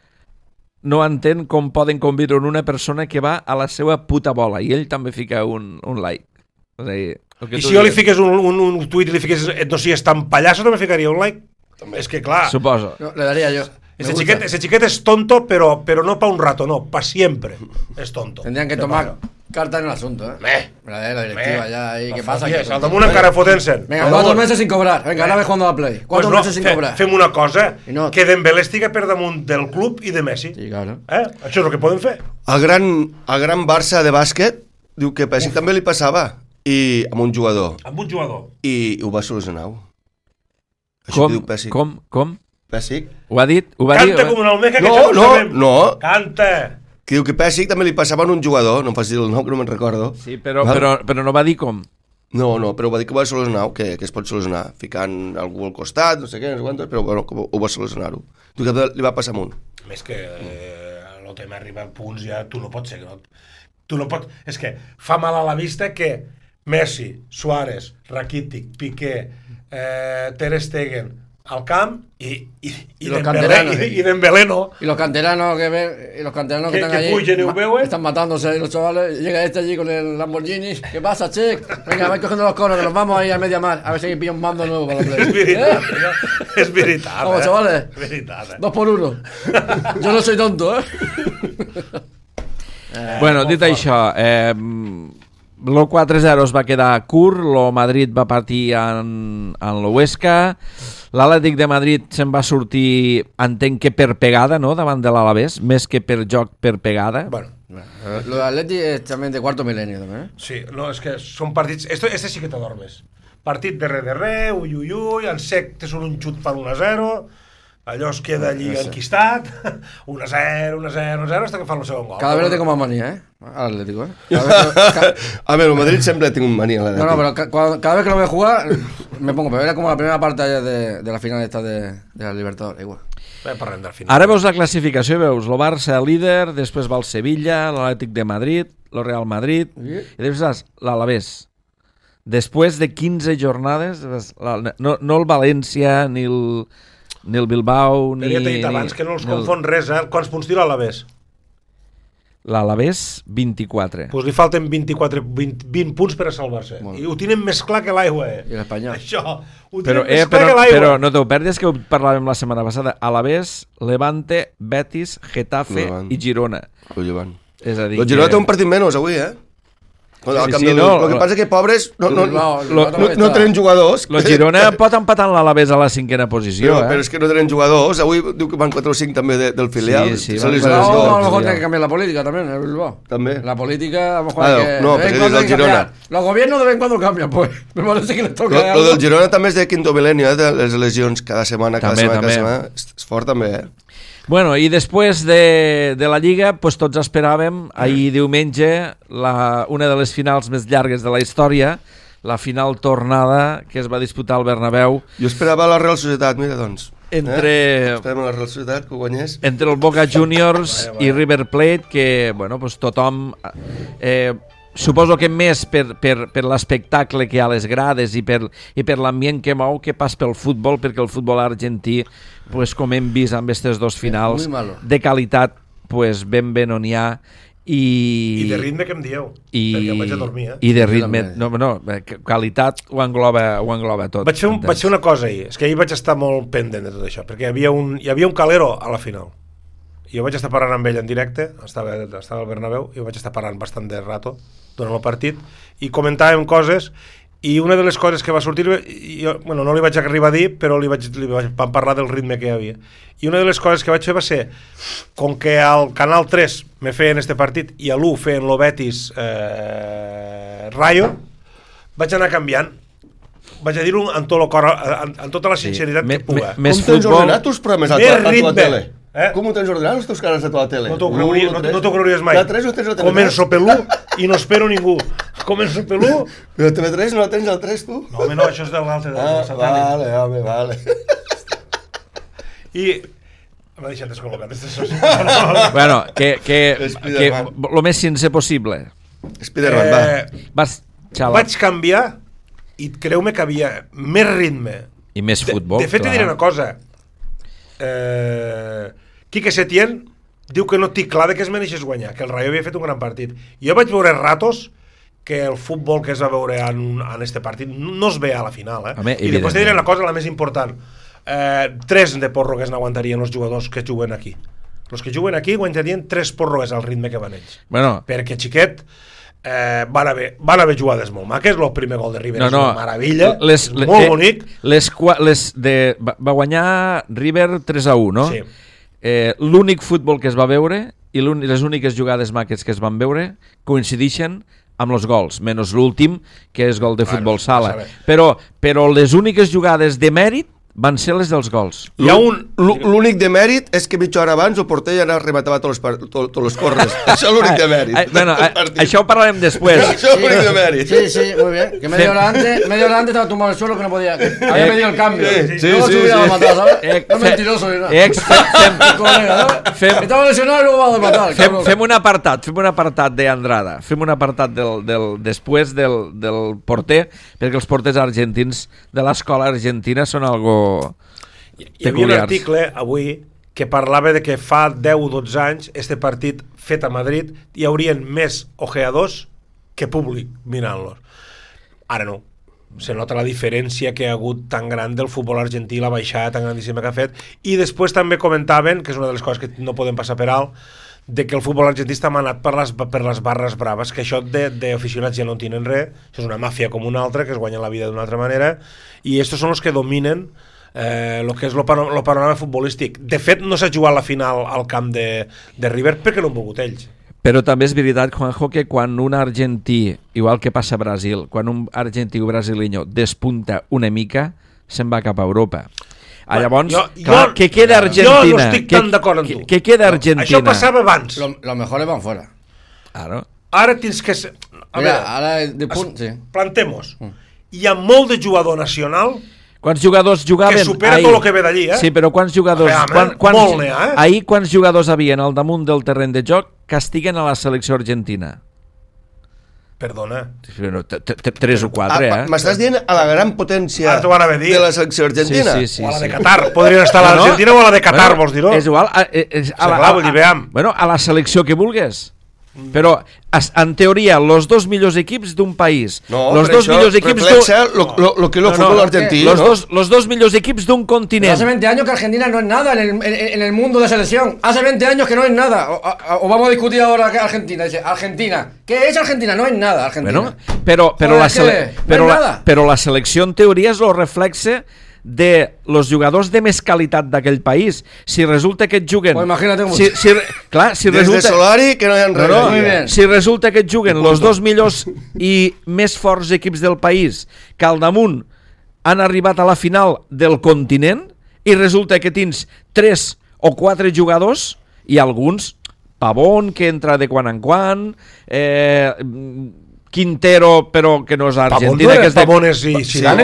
no entén com poden conviure en una persona que va a la seva puta bola, i ell també fica un like. O sigui, i si jo li fiqués un tuit i li fiqués no sigues tan pallasso, també ficaria un like? És que clar... Suposo. No, le daría yo. Ese chiquet es tonto, pero no para un rato, no, para siempre. Es tonto. Tendrían que tomar carta en el asunto, la directiva ya ahí. ¿Qué pasa? Al damunt encara fotent-se'n. Venga, 4 meses sin cobrar. Venga, ara ve jugando a Play. 4 meses sin cobrar. Fem una cosa, que Dembélé estiga per damunt del club i de Messi. Sí, claro. Això és el que podem fer. El gran Barça de bàsquet diu que Pessic també li passava amb un jugador. Amb un jugador. I ho va solucionar. Com? Pessic. Ho ha dit? Canta com una almeca que no. Canta. Que diu que Pessic també li passava en un jugador, no em facis dir el nom, que no me'n recordo. Sí, però no va dir com. No, però va dir que ho va solucionar, que es pot solucionar, ficant algú al costat, no sé què, no sé quantos, però bueno, ho va solucionar-ho. Diu que li va passar amunt. Més que el tema arriba a punts ja, tu no pots ser... Tu no pots... És que fa mal a la vista que Messi, Suárez, Rakitic, Piqué, Ter Stegen al camp y Dembélé no. Y los canteranos que están allí están matándose ahí los chavales. Llega este allí con el Lamborghini. ¿Qué pasa, Che? Venga, vais cogiendo los conos, que nos vamos ahí a media mar. A ver si pilla un mando nuevo para la Play. Es veritat. Vamos, chavales. 2 por 1. Yo no soy tonto, Bueno, dit això, el 4-0 es va quedar curt, el Madrid va partir en l'Huesca, l'Atlètic de Madrid se'n va sortir, entenc que per pegada, no?, davant de l'Alavés, més que per joc, per pegada. Bueno, lo de Atlètic és també de cuarto milenio, també. Sí, no, és que són partits... Este sí que t'adormes. Partit de re, ui, en sec te surt un xut per 1-0, allò es queda allí enquistat, 1-0, hasta que fan el segon gol. Cada vez lo tengo más manía, Atlético, A ver, el Madrid siempre tiene un manía. No, pero cada vez que lo veo jugar me pongo, pero era como la primera parte de la final esta de la Libertadores, igual. Ara veus la classificació, veus el Barça líder, després va el Sevilla, l'Atlètic de Madrid, el Real Madrid, i després l'Alavés. Després de 15 jornades, no el València ni el Bilbao, ni... Però ja t'he dit abans que no els confon res, Quants punts tira l'Alavés? L'Alavés, 24. Doncs li falten 20 punts per a salvar-se. I ho tenen més clar que l'aigua, I l'Espanyol. Això, ho tenen més clar que l'aigua. Però no t'ho perdis, que ho parlàvem la setmana passada. Alavés, Levante, Betis, Getafe i Girona. És a dir, el Girona té un partit menys avui, El que passa és que pobres no tenen jugadors. El Girona pot empatar l'Alavés a la 5ª posició. Però és que no tenen jugadors. Avui diu que van 4 o 5 també del filial. A lo mejor tiene que cambiar la política también, el Bilbao. También. La política, a lo mejor no, pero del Girona. Los gobiernos de vez en cuando cambian, pues. Me parece que les toca. Lo del Girona també és de quinto milenio, de les eleccions cada setmana. És fort també, Bueno, i després de la Lliga, pues, tots esperàvem ahir diumenge una de les finals més llargues de la història, la final tornada que es va disputar al Bernabéu. Jo esperava la Real Societat, mira, doncs. Esperem la Real Societat que guanyés. Entre el Boca Juniors i River Plate, que bueno, pues, tothom... suposo que més per l'espectacle que hi ha a les grades i per l'ambient que mou que pas pel futbol, perquè el futbol argentí, pues, com hem vist amb aquestes dos finals, de qualitat pues, ben on hi ha. I de ritme que em dieu, perquè em vaig a dormir. I de ritme, qualitat ho engloba tot. Vaig fer una cosa ahir, és que ahir vaig estar molt pendent de tot això, perquè hi havia un Calero a la final. Jo vaig estar parlant amb ell en directe, estava al Bernabéu, i vaig estar parlant bastant de rato durant el partit, i comentàvem coses, I una de les coses que va sortir, bueno, no li vaig arribar a dir, però vam parlar del ritme que hi havia. I una de les coses que vaig fer va ser, com que al Canal 3 me feien este partit i a l'1 feien lo Betis Rayo, vaig anar canviant. Vaig a dir-ho amb tot el cor, amb tota la sinceritat que puga. Com tens ordenat els programes a tua tele? Com ho tens ordenat els teus canals a tua tele? No t'ho creuries mai. Començo per l'1 i no espero ningú. Començo per l'1. Però TV3 no la tens al 3, tu? No, home, no, això és de l'altre, del satèl·lit. Vale. I... m'ha deixat descol·locat. Bueno, que lo més sincer possible. Spiderman, va. Vaig canviar i creu-me que havia més ritme. I més futbol. De fet, et diré una cosa. Quique Setién diu que no tinc clar de què es mereixés guanyar, que el Rayo havia fet un gran partit. Jo vaig veure ratos que el futbol que es va veure en este partit no es ve a la final, Home, i després te diré la cosa, la més important. 3 de pròrrogues n'aguantarien els jugadors que juguen aquí. Els que juguen aquí aguantarien 3 pròrrogues al ritme que van ells. Bueno. Perquè, xiquet, van haver jugades molt maques. El primer gol de River és una meravella, és molt bonic. Va guanyar River 3-1, no? Sí. L'únic futbol que es va veure i les úniques jugades maques que es van veure coincideixen amb els gols, menys l'últim, que és gol de futbol sala. Però les úniques jugades de mèrit van ser les dels gols. L'únic de mèrit és que mitja hora abans el porter ja rematava tots els corres. Això és l'únic de mèrit. Bueno, això ho parlarem després. Això és l'únic de mèrit. Sí, muy bien. Que media hora antes estaba tumbado en el suelo que no podía. Había pedido el cambio. Luego se hubiera matado, ¿sabes? No mentiroso ni nada. Estaba lesionado y luego va a matar. Fem un apartat d'Andrada. Fem un apartat després del porter, perquè els porters argentins de l'escola argentina són algo hi havia un article avui que parlava de que fa 10-12 anys este partit fet a Madrid hi haurien més ojeadors que públic mirant-los. Ara no. Se nota la diferència que ha hagut tan gran del futbol argentí, la baixada tan grandíssima que ha fet. I després també comentaven, que és una de les coses que no podem passar per alt, de que el futbol argentí està manat per les barres braves, que això d'aficionats ja no en tenen res, això és una màfia com una altra, que es guanya la vida d'una altra manera, i estos són els que dominen el que és el panorama futbolístic. De fet, no s'ha jugat la final al camp de River perquè no han volgut ells. Però també és veritat, Juanjo, que quan un argentí, igual que passa a Brasil, quan un argentí o brasileño despunta una mica, se'n va cap a Europa. Llavors, què queda Argentina? Jo no estic tan d'acord amb tu. Què queda Argentina? Això passava abans. Los mejores van fuera. Claro. Ara tens que... Ara de punt, sí. Plantem-nos. Hi ha molt de jugador nacional... Quants jugadors jugaven? Que supera tot el que ve d'allí, Sí, però quants jugadors... Ahir quants jugadors havien al damunt del terreny de joc que estiguen a la selecció argentina? Perdona. 3 o 4, M'estàs dient a la gran potència de la selecció argentina? Sí. O a la de Qatar. Podrien estar a l'Argentina o a la de Qatar, vols dir-ho? És igual. Bueno, a la selecció que vulgues. Però, en teoria, els dos millors equips d'un país... No, los dos millors equips lo que es el fútbol argentino. Los dos millors equips d'un continent. Hace 20 años que Argentina no es nada en el mundo de selección. Hace 20 años que no es nada. O vamos a discutir ahora que Argentina. Dice, Argentina. ¿Qué es Argentina? No es nada, Argentina. Bueno, però la selecció, en teoria, és el reflexe de los jugadors de més qualitat d'aquell país. Si resulta que et juguen... Pues imagínate com... Des de Solari que no hi ha res. Si resulta que et juguen els dos millors i més forts equips del país, que al damunt han arribat a la final del continent, i resulta que tens 3 o 4 jugadors, i alguns, Pavón, que entra de quan en quan... Quintero, però que no és Argentina. Pavón és Zidane.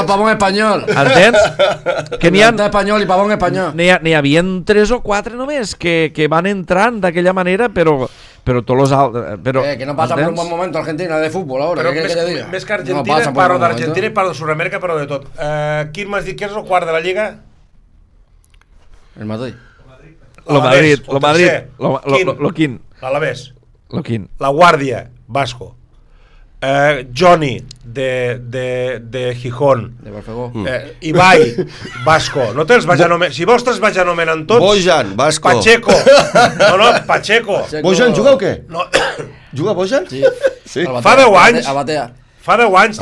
Pavón espanyol. Entens? Que n'hi ha... espanyol i Pavón espanyol. N'hi havia 3 o 4 només que van entrant d'aquella manera, però tots els altres... Que no passa per un bon moment Argentina de futbol, ara. Més que Argentina, parlo d'Argentina i parlo de Sud-amèrica, parlo de tot. Quin m'has dit que és el quart de la Lliga? El Madrid. Lo Madrid. Lo quin? L'Alavés. Lo quin? La Guàrdia, Vasco. Johnny de Gijón, de Barfegó. Ibai, Vasco. No te'ls vaig anomenant. Si vols te'ls vaig anomenant tots. Bojan, Vasco. Pacheco. Pacheco. Bojan juga o què? No. Juga Bojan? Sí. Fa 10 anys. A Batea. Fa 10 anys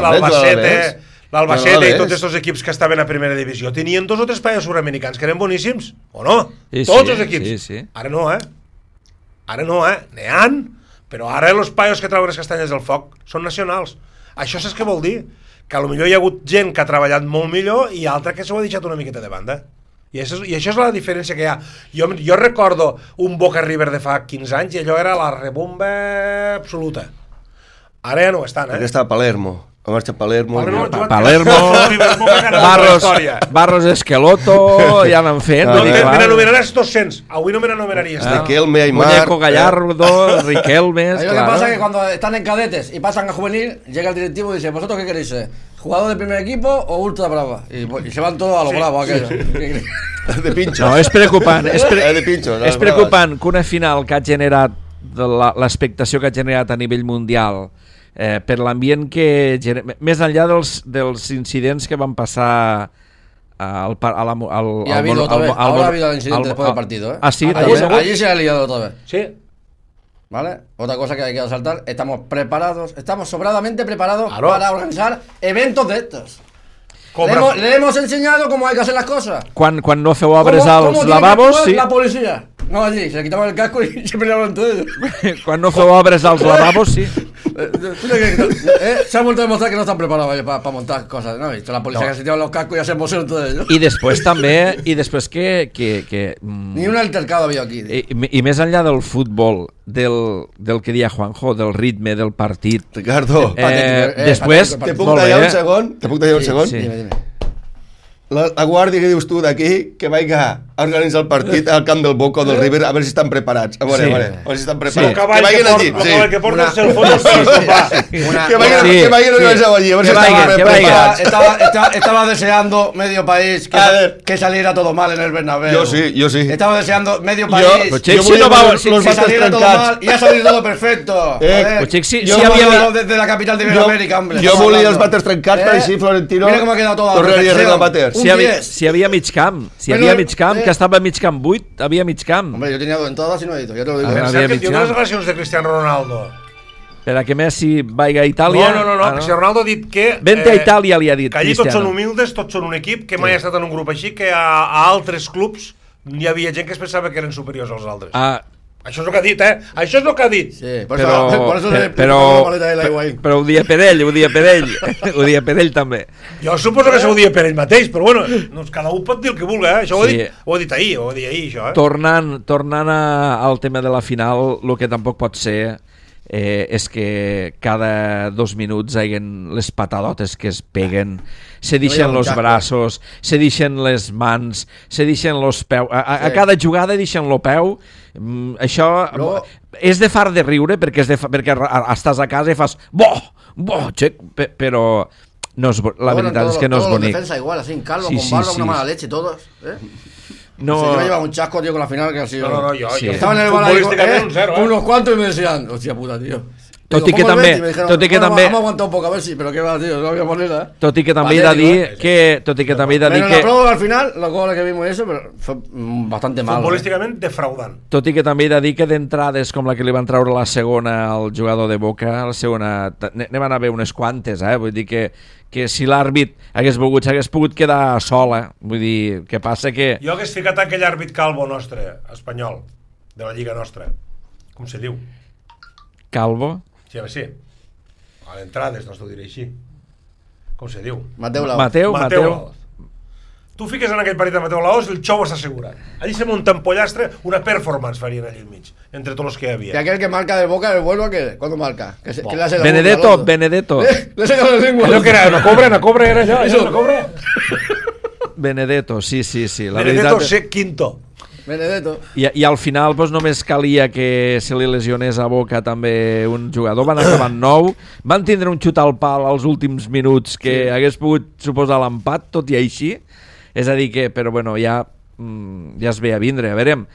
l'Albacete i tots aquests equips que estaven a primera divisió tenien 2 o 3 paios sud-americans que eren boníssims, o no? Tots els equips. Ara no, n'hi han, però ara els paios que treuen les castanyes del foc són nacionals. Això saps què vol dir? Que potser hi ha hagut gent que ha treballat molt millor i altra que s'ho ha deixat una miqueta de banda. I això és la diferència que hi ha. Jo recordo un Boca River de fa 15 anys i allò era la rebomba absoluta. Ara ja no ho estan, Perquè està a Palermo. Va marxar a Palermo. Barros Esqueloto, ja n'han fet. Me n'anomenaràs 200. Avui no me n'anomenaries. Riquelme, Aymar. Muñeco Gallardo, Riquelme. Lo que pasa es que cuando están en cadetes y pasan a juvenil, llega el directivo y dice, ¿vosotros qué queréis ser? ¿Jugador de primer equipo o ultra brava? Y se van todos a lo bravo aquello. De pinxos. No, és preocupant. És preocupant que una final que ha generat l'expectació que ha generat a nivell mundial per l'ambient que més enllà dels incidents que van passar ahora ha habido el incidente después del partido, ¿eh? Ah, sí, allí se ha liado otra vez. Sí. ¿Vale? Otra cosa que hay que resaltar, estamos sobradamente preparados para organizar eventos de estos. Le hemos enseñado cómo hay que hacer las cosas. Cuando no feu obres als lavabos, sí. La policía. No, allí, se le quitaban el casco y se peleaban entre ellos. Cuando no feu obres als lavabos, sí. Se ha vuelto a demostrar que no están preparados para montar cosas, ¿no? Visto la policía que se tiraban los cascos y ya se emocionan entre ellos. I després també, que ni un altercado había aquí. I més enllà del futbol, del que deia Juanjo, del ritme del partit. Ricardo, després... Te puc tallar un segon? Sí. Dime. La guàrdia que dius tu d'aquí, que vaiga a organitzar el partit al camp del Boca o del River, a veure si estan preparats. A veure si estan preparats. Que vagin allí. El que porta el seu fons. Que vagin organitzar allí, a veure si estan preparats. Estaba deseando medio país que saliera todo mal en el Bernabéu. Yo sí. Estaba deseando medio país que saliera todo mal y ha salido todo perfecto. Desde la capital de Iberoamérica, hombre. Jo volia els vàters trencats per així Florentino tornaria a regalar. Si hi havia mig camp, que estava a mig camp buit, havia mig camp. Hombre, yo tenía entradas y no he ido, ya te lo digo. Diu les relacions de Cristiano Ronaldo. Per a que Messi vaiga a Itàlia... No, Cristiano Ronaldo ha dit que... Vente a Itàlia, li ha dit que allí tots són humildes, tots són un equip, que mai ha estat en un grup així, que a altres clubs hi havia gent que es pensava que eren superiors als altres. Això és el que ha dit, Això és el que ha dit. Sí, però ho dia per ell, ho dia per ell també. Jo suposo que s'ho dia per ell mateix, però bueno, cada un pot dir el que vulgui, Això ho he dit ahir, això, Tornant al tema de la final, el que tampoc pot ser és que cada 2 minuts hi haguen les patadotes que es peguen, se deixen els braços, se deixen les mans, se deixen els peus, a cada jugada deixen el peu. Això és de far de riure perquè estàs a casa i fas però la veritat és que no és bonic. Defensa igual, así en calvo, con barba, una mala leche, todos, No, yo me llevaba un chasco, tío, con la final que ha sido. No, yo estaba en el bar ahí, unos cuantos y me decían, hostia puta, tío. Tot i que també... Hem aguantat un poc, a ver si, però què va, tío, no había manera. Tot i que també he de dir que... Pero en la pròrroga al final, los goles que vimos y eso, pero fue bastante mal. Futbolísticament defraudant. Tot i que també he de dir que d'entrades com la que li van treure la segona al jugador de Boca, la segona... Ne van haver unes quantes, vull dir que si l'àrbit s'hagués pogut quedar sola, vull dir, que passa que... Jo hagués ficat aquell àrbit calvo nostre, espanyol, de la lliga nostra. Com se diu? Calvo? Sí, a veure, sí. A l'entrades, no t'ho diré així. Com se diu? Mateu Laos. Tu fiques en aquell partit de Mateu Laos i el xou s'assegura. Allí se munta en pollastre, una performance farien allí al mig, entre tots els que hi havia. Y aquel que marca del Boca, el vuelo, ¿cuándo marca? Benedetto. Le saca la lengua. Allò que era, no cobra era allò, no cobra? Benedetto, sí. Benedetto ser quinto. Benedetto. I al final només calia que se li lesionés a Boca també un jugador, van acabar 9, van tindre un xut al pal als últims minuts que hagués pogut suposar l'empat, tot i així, és a dir que, però bueno, ja es ve a vindre, a veure,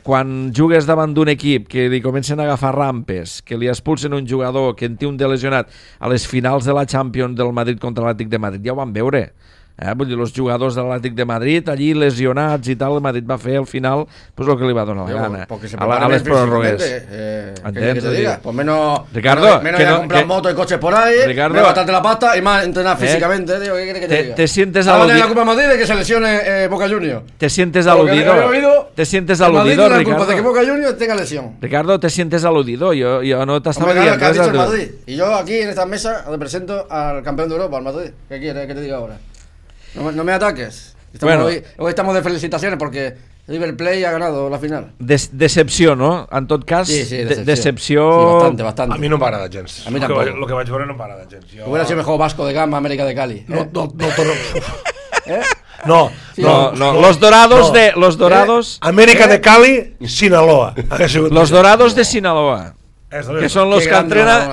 quan jugues davant d'un equip que li comencen a agafar rampes, que li expulsen un jugador que en té un de lesionat a les finals de la Champions del Madrid contra l'Atlètic de Madrid, ja ho vam veure. Vull dir, els jugadors de l'Atlètic de Madrid, allí lesionats i tal, el Madrid va fer al final pues el que li va donar la gana. A les pròrrogues. ¿Qué te diga? Pues menos Ricardo, menos ir a comprar motos y coches por ahí, menos gastarte la pasta y más entrenar físicamente, tío. ¿Qué quieres que te diga? Te sientes aludido. Ahora la culpa Madrid de que se lesione Boca Juniors. Te sientes aludido. Te sientes aludido, Ricardo. La culpa de que Boca Juniors tenga lesión. Ricardo, te sientes aludido. Yo no te estaba diciendo que has dicho el Madrid. Y yo aquí en esta mesa represento al campeón de Europa, al Madrid. ¿Qué quieres que te diga ahora? No me ataques. Hoy estamos de felicitaciones porque River Plate ha ganado la final. Decepció, no? En tot cas, sí, decepció... Sí, bastante. A mi no m'agrada gens. A mi tampoc. Lo que vaig veure no m'agrada gens. Hubiera sido mejor Vasco de Gama, América de Cali. No. Los Dorados... América de Cali, Sinaloa. Los Dorados de Sinaloa. Que son los que entrenan.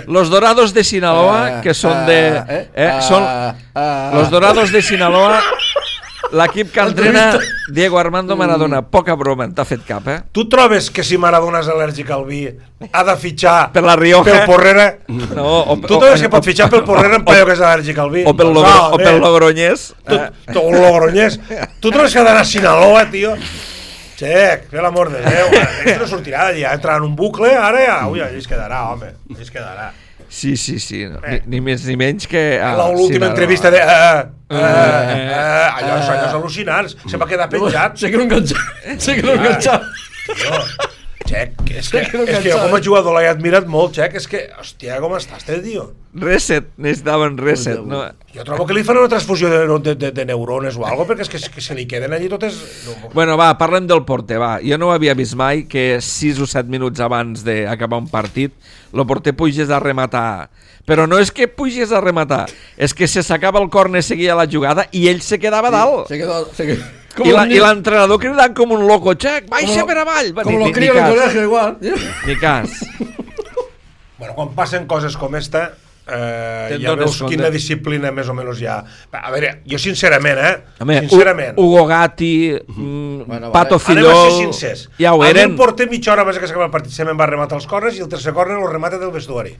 Los Dorados de Sinaloa, que son de. Son los Dorados de Sinaloa. L'equip que entrena Diego Armando Maradona. Poca broma, t'ha fet cap, Tu trobes que si Maradona és al·lèrgic al vi ha de fitxar per la Rioja, pel Porrera? No, tu trobes que pot fitxar pel Porrera en paio que és al·lèrgic al vi? O pel Logroñés. O Logroñés. Tu trobes que ha d'anar a Sinaloa, tio? Xec, fer l'amor de Déu, no sortirà d'allà, entrarà en un bucle, ara ja, allà es quedarà, home, allà es quedarà. Sí, no, ni més ni menys que... L'última entrevista de... allò és al·lucinants, se va quedar penjat. Se quedó enganxat. Xec, és que jo com a jugador l'he admirat molt, Xec, és que, hòstia, com estàs, tio? Reset, necessitaven reset, no? Jo trobo que li fan una transfusió de neurones o alguna cosa, perquè és que se li queden allí totes... Bueno, va, parlem del porter, va. Jo no ho havia vist mai que 6 o 7 minuts abans d'acabar un partit el porter pugés a rematar. Però no és que pugés a rematar, és que se sacava el córner, seguia la jugada i ell se quedava dalt. I l'entrenador cridant com un loco, Xec, baixa per avall. Com los críos del colegio, igual. Ni cas. Bueno, quan passen coses com esta, ja veus quina disciplina més o menys hi ha. A veure, jo sincerament, sincerament... Hugo Gatti, Pato Filló... Anem a ser sincers. Ja ho eren. A mi em porta mitja hora abans que s'acaba el partit, se me'n va rematar els corners i el tercer córner el remata del vestuari.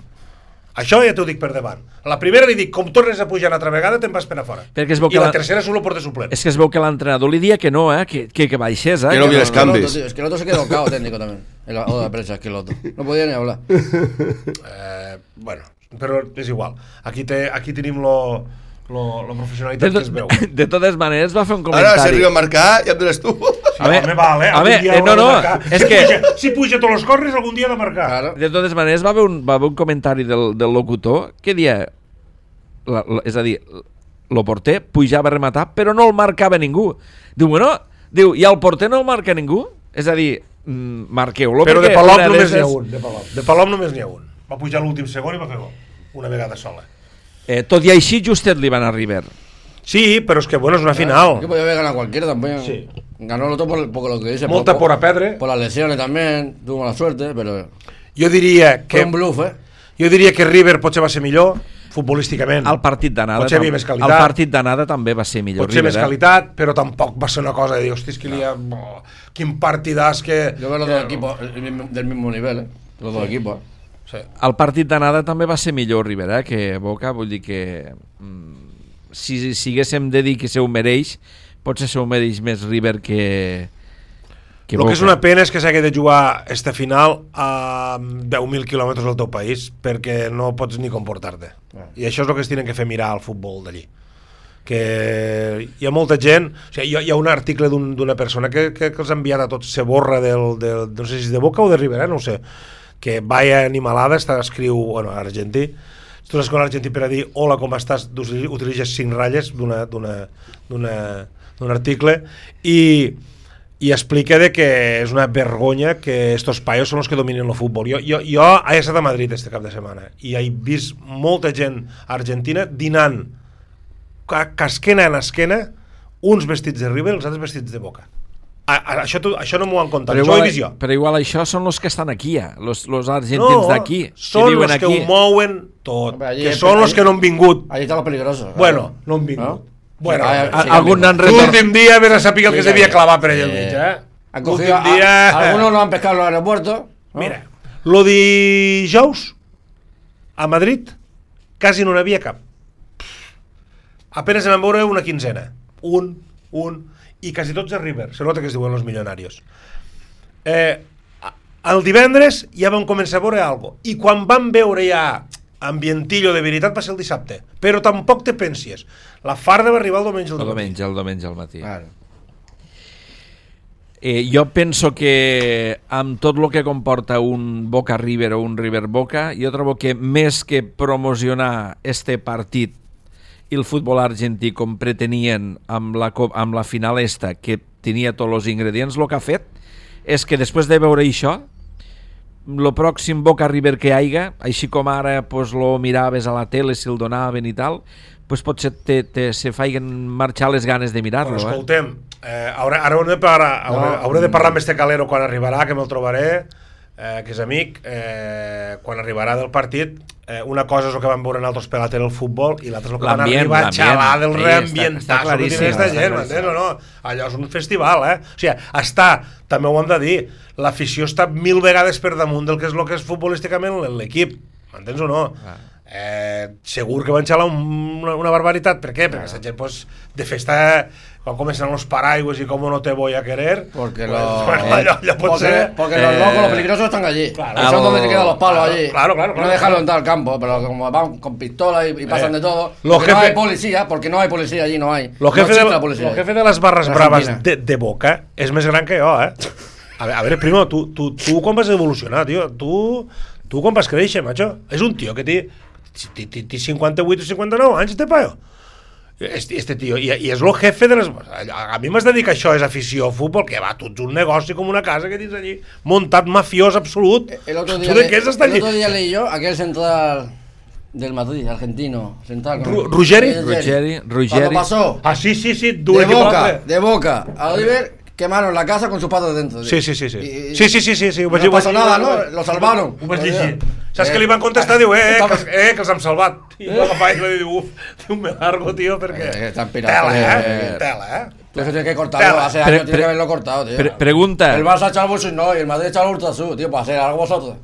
Això ja t'ho dic per davant. La primera li dic, com tornes a pujar una altra vegada, te'n vas per a fora. I la tercera solo porta suplent. És que es veu que l'entrenador li dia que no, que baixés, que no havia els canvis. Es que el otro se quedó cao técnico también. En la oda de prensa, es que el otro. No podía ni hablar. Bueno, però és igual. Aquí tenim lo professionalitat que es veu. De totes maneres va fer un comentari. Ara, si arriba a marcar, ja em dones tu. És que si puja tots els corners algun dia ha de marcar. De totes maneres va haver un comentari del locutor que dia, és a dir, el porter pujava a rematar però no el marcava ningú. Diu, i el porter no el marca ningú? És a dir, marqueu-lo. Però de Palop només n'hi ha un. De Palop només n'hi ha un. Va pujar l'últim segon i va fer gol. Una vegada sola. Tot i així justet li van a River. Sí, pero es que bueno, es una final. Que podía haber ganado cualquiera también. Sí. Ganó el otro por lo que dice. Molta por a perdre. Por las lesiones también, tuvo mala suerte, pero... Jo diria que... Fue un bluff, Jo diria que River potser va ser millor, futbolísticament. El partit d'anada. Potser havia més qualitat. El partit d'anada també va ser millor. Potser River, més qualitat, però tampoc va ser una cosa de dir, hosti, és que quin partidàs que... Jo veo los dos equipos del mismo nivel, los dos equipos. Sí. El partit d'anada també va ser millor River, que Boca, vull dir que... si haguéssim de dir que se ho mereix, potser se ho mereix més River que Boca. El que és una pena és que s'hagi de jugar esta final a 10.000 quilòmetres del teu país, perquè no pots ni comportar-te. I això és el que es tenen que fer mirar al futbol d'allí. Que hi ha molta gent... O sigui, hi ha un article d'una persona que els ha enviat a tots, se borra no sé si de Boca o de River, no ho sé, que vaya animalada, escriu, bueno, argentí, tu l'escola argentí per a dir hola, com estàs, utilitzes 5 ratlles d'un article i explica de que és una vergonya que estos paios són els que dominen el futbol. Jo he estat a Madrid este cap de setmana i he vist molta gent argentina dinant casquena en esquena, uns vestits de River i els altres vestits de Boca. Això no m'ho han contat, això ho he vist jo. Però igual això són els que estan aquí, los argentins d'aquí. Són els que ho mouen tot, que són els que no han vingut. Allí està lo peligroso. Bueno, no han vingut. Bueno, l'últim dia ves a saber el que se devia clavar per allà al mig, algunos lo han pescado en el aeropuerto. Mira, lo dijous a Madrid quasi no n'havia cap. Apenas en vam veure una quinzena. Un, i quasi tots a River. Se nota que es diuen los millonarios. El divendres ja vam començar a veure alguna cosa. I quan vam veure ja ambientillo de veritat va ser el dissabte. Però tampoc te pensies. La farda va arribar el diumenge al diumenge al matí. Jo penso que amb tot el que comporta un Boca River o un River Boca, jo trobo que més que promocionar este partit i el futbol argentí com pretenien amb la final esta, que tenia tots els ingredients, el que ha fet és que després de veure això, el pròxim Boca River que hi hagi, així com ara pues, lo miraves a la tele si el donaven i tal, pues potser se feien marxar les ganes de mirar-lo. Escoltem, ara hauré de parlar amb este Calero quan arribarà, que me'l trobaré, que és amic, quan arribarà del partit. Una cosa és el que van veure nosaltres per la tele el futbol i l'altra és el que van arribar a xalar del reambientazo que tenia esta gent, m'entens o no? Allò és un festival, O sigui, també ho hem de dir, l'afició està 1000 vegades per damunt del que és futbolísticament l'equip, m'entens o no? Segur que van xalar una barbaritat. Per què? Perquè la gent de festa, quan comencen los paraigües y cómo no te voy a querer, porque porque los locos, los peligrosos están allí, claro, son donde se quedan los palos allí, claro, no dejarlo entrar al campo, pero como van con pistolas y pasan de todo, porque no hay policía allí, no hay. Los jefes de las barras bravas de Boca es més gran que jo, A ver, primo, tu quan vas evolucionar, tio? Tu quan vas créixer, macho? És un tio que té 58 o 59 anys, este paio. Este tio, i és el jefe de les... A mi m'has de dir que això és afició a futbol, que va, tu ets un negoci com una casa que tens allí, muntat mafiós absolut. El otro día leí yo aquel central del Madrid, argentino, central. Ruggeri. Cuando pasó sí, de Boca a River, quemaron la casa con sus patas dentro. Sí. No pasó nada, ¿no? Lo salvaron. Saps que li van contestar? Diu, que els hem salvat. I va agafar i va dir, diu, me largo, tío, perquè... Tela, Eso tiene que cortarlo, hace años tiene que haberlo cortado, tío. Pregunta. El Barça echa el bolso y no, y el Madrid echa el Urtasun, tío, para hacer algo vosotros.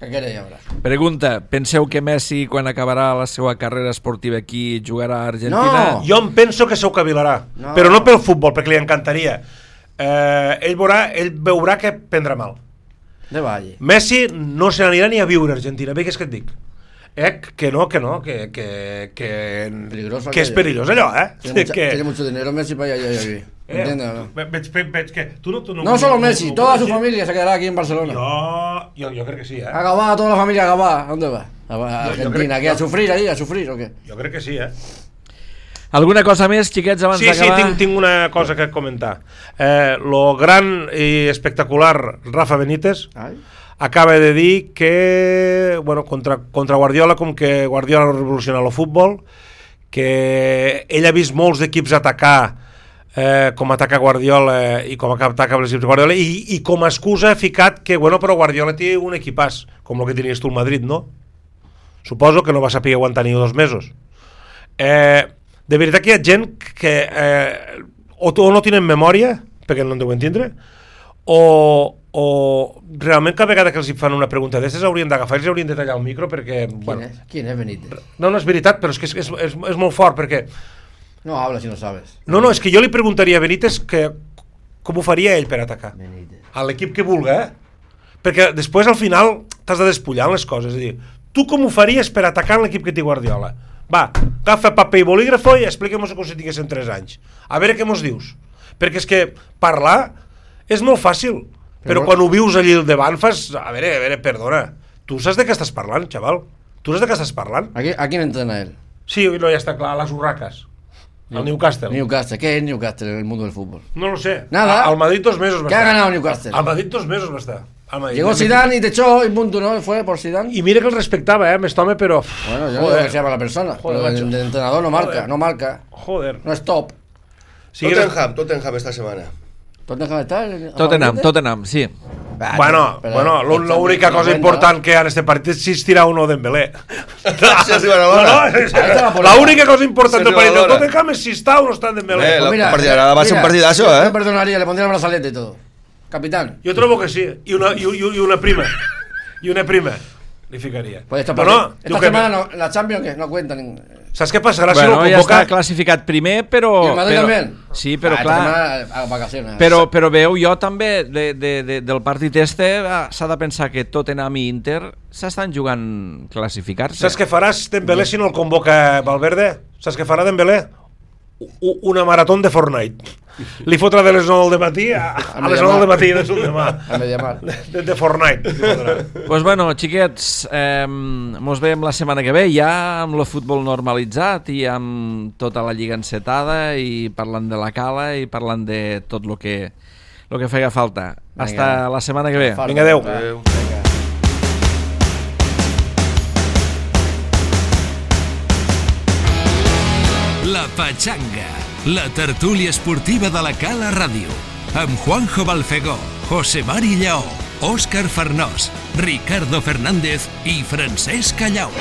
Què queréis ara? Pregunta, penseu que Messi, quan acabarà la seva carrera esportiva aquí, jugarà a Argentina? No. Jo em penso que s'ho cavilarà, però no pel futbol, perquè li encantaria. Ell veurà que prendrà mal. De Valle. Messi no se n'anirà ni a viure a Argentina, bé que és que et dic. Que és perillós allò, Tiene mucho dinero Messi para allá vivir. ¿Entiendes o no? Veig que tú no solo Messi, toda su familia se quedará aquí en Barcelona. Yo creo que sí, A Gabá, toda la familia a Gabá. ¿A dónde va? A Argentina, ¿a sufrir ahí? ¿A sufrir o qué? Jo crec que sí, Alguna cosa més, xiquets, abans d'acabar? Sí, tinc una cosa que comentar. Lo gran i espectacular Rafa Benítez acaba de dir que contra Guardiola, com que Guardiola no revoluciona el futbol, que ell ha vist molts equips atacar com ataca Guardiola i com ataca els equips de Guardiola, i com a excusa ha ficat que però Guardiola té un equipàs com el que tenies tu al Madrid, no? Suposo que no va saber aguantar ni 2 mesos. De veritat que hi ha gent que o no tenen memòria, perquè no en deuen tindre, o realment cada vegada que els fan una pregunta d'aquestes haurien d'agafar i els haurien de tallar el micro, perquè... ¿Quién es Benítez? No és veritat, però és que és molt fort, perquè... No habla si no sabes. No, és que jo li preguntaria a Benítez com ho faria ell per atacar. A l'equip que vulga, perquè després al final t'has de despullar les coses, és a dir, tu com ho faries per atacar l'equip que té Guardiola? Va, agafa paper i bolígrafo i expliquem-nos com si tinguéssim 3 anys. A veure què mos dius. Perquè és que parlar és molt fàcil, però quan ho vius allí al davant fas... A veure, perdona. Tu saps de què estàs parlant, xaval? Tu saps de què estàs parlant? ¿A quién entrena él? Sí, no, ja està clar, a les Urracas. Al Newcastle. ¿Qué es Newcastle en el mundo del fútbol? No lo sé. Nada. Al Madrid 2 meses va estar. ¿Qué ha ganado Newcastle? Al Madrid 2 meses va estar. Llegó Zidane y te echó y punto, ¿no? Fue por Zidane. Y mira que el respectaba, este home, pero... Bueno, yo no digo que sea para la persona, pero el entrenador no marca. Joder. No es top. Sí, Tottenham esta semana. ¿Tottenham está? Tottenham, sí. Bueno, la única cosa important que en este partit és si es tira uno Dembélé. La única cosa important del partit del Tottenham és si està o no està Dembélé. La partida va ser un partidazo, Yo perdonaría, le pondría el brazalete y todo. Capitán. Jo trobo que sí. I una prima. li ficaria. Pues esta semana la Champions no cuenta. Saps què passarà si no convoca? Ja està classificat primer, però... I el Madrid també? Sí, però clar... Però veu, jo també, del partit s'ha de pensar que Tottenham i Inter s'estan jugant classificar-se. Saps què faràs Dembélé si no el convoca Valverde? Saps què farà Dembélé? Una marató de Fortnite. Li fotrà de les 9 del matí a les 9 del matí de demà. De Fortnite. Pues bueno, xiquets, mos veiem la setmana que ve ja amb el futbol normalitzat i amb tota la lliga encetada i parlant de la cala i parlant de tot el que feia falta. Hasta la setmana que ve. Vinga, adeu. La Pachanga, la tertúlia esportiva de la Cala Ràdio, amb Juanjo Balfegó, José Mari Lleó, Òscar Farnós, Ricardo Fernández i Francesc Callau.